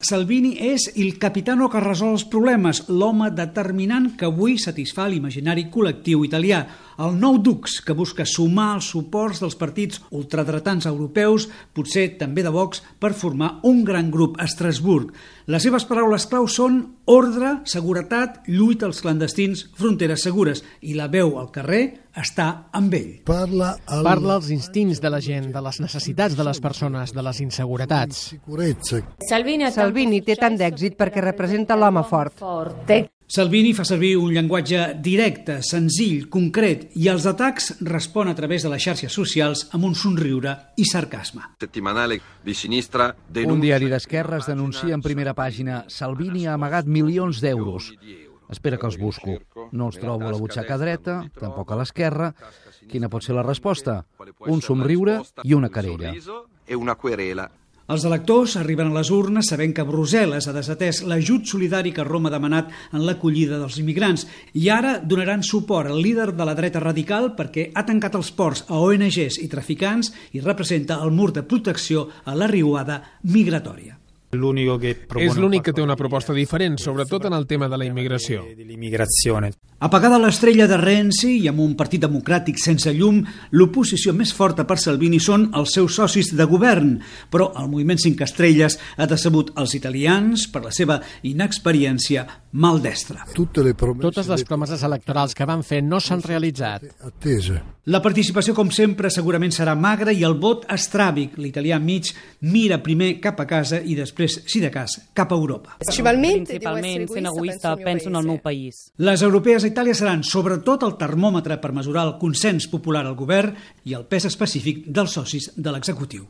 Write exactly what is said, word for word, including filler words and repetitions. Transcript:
Salvini és il capitano que resol els problemes, l'home determinant que avui satisfà l'imaginari col·lectiu italià, el nou dux que busca sumar els suports dels partits ultradretans europeus, potser també de Vox, per formar un gran grup a Estrasburg. Les seves paraules clau són ordre, seguretat, lluita als clandestins, fronteres segures, i la veu al carrer està amb ell. Parla, al... Parla als instints de la gent, de les necessitats de les persones, de les inseguretats. Salvini, Salvini té tant d'èxit perquè representa l'home fort. Salvini fa servir un llenguatge directe, senzill, concret, i als atacs respon a través de les xarxes socials amb un somriure i sarcasme. Un diari d'esquerres denuncia en primera pàgina Salvini ha amagat milions d'euros. Espera que els busco. No els trobo a la butxaca dreta, tampoc a l'esquerra. Quina pot ser la resposta? Un somriure i una querella. Els electors arriben a les urnes sabent que Brussel·les ha desatès l'ajut solidari que Roma ha demanat en l'acollida dels immigrants i ara donaran suport al líder de la dreta radical perquè ha tancat els ports a O N Ges i traficants i representa el mur de protecció a la riuada migratòria. És l'únic que té una proposta diferent, sobretot en el tema de la immigració. Apagada l'estrella de Renzi i amb un partit democràtic sense llum, l'oposició més forta per Salvini són els seus socis de govern, però el moviment cinc estrelles ha decebut els italians per la seva inexperiència maldestra. Totes les promeses electorals que van fer no s'han realitzat. La participació, com sempre, segurament serà magra i el vot estràbic. L'italià mig mira primer cap a casa i després, si de cas, cap a Europa. Principalment, sent egoista, penso en el meu país. Les europees a Itàlia seran sobretot el termòmetre per mesurar el consens popular al govern i el pes específic dels socis de l'executiu.